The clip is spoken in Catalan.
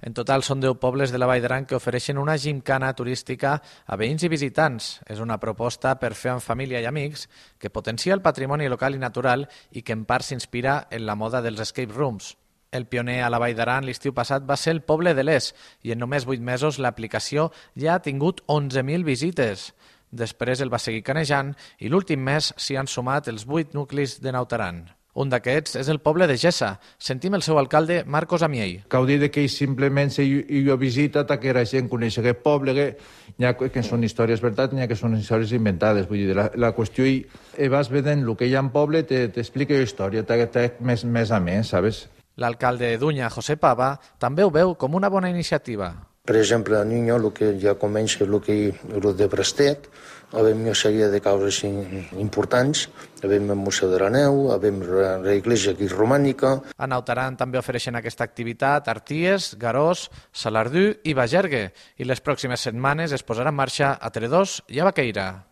En total són 10 pobles de la Vall d'Aran que ofereixen una gimcana turística a veïns i visitants. És una proposta per fer amb família i amics que potencia el patrimoni local i natural i que en part s'inspira en la moda dels escape rooms. El pioner a la Vall d'Aran l'estiu passat va ser el poble de l'Es i en només 8 mesos l'aplicació ja ha tingut 11.000 visites. Després el va seguir canejant i l'últim mes s'hi han sumat els 8 nuclis de Naut Aran. Un d'aquests és el poble de Gessa. Sentim el seu alcalde, Marcos Amiell. Cal dir que simplement jo visita que la gent coneix aquest poble, que són històries veritat, n'hi ha que són històries inventades. Vull dir, la qüestió vas vedent el que hi ha en poble, t'explica la història, més a més, saps? L'alcalde de Dunya, José Pava, també ho veu com una bona iniciativa. Per exemple, a Niño, el que ja comença el de Prestet, havem una sèrie de causes importants, havem el Museu de la Neu, havem l'església aquí romànica. A Naut Aran també ofereixen aquesta activitat Arties, Garós, Salardú i Bagergue, i les pròximes setmanes es posarà en marxa a Tredòs i a Baqueira.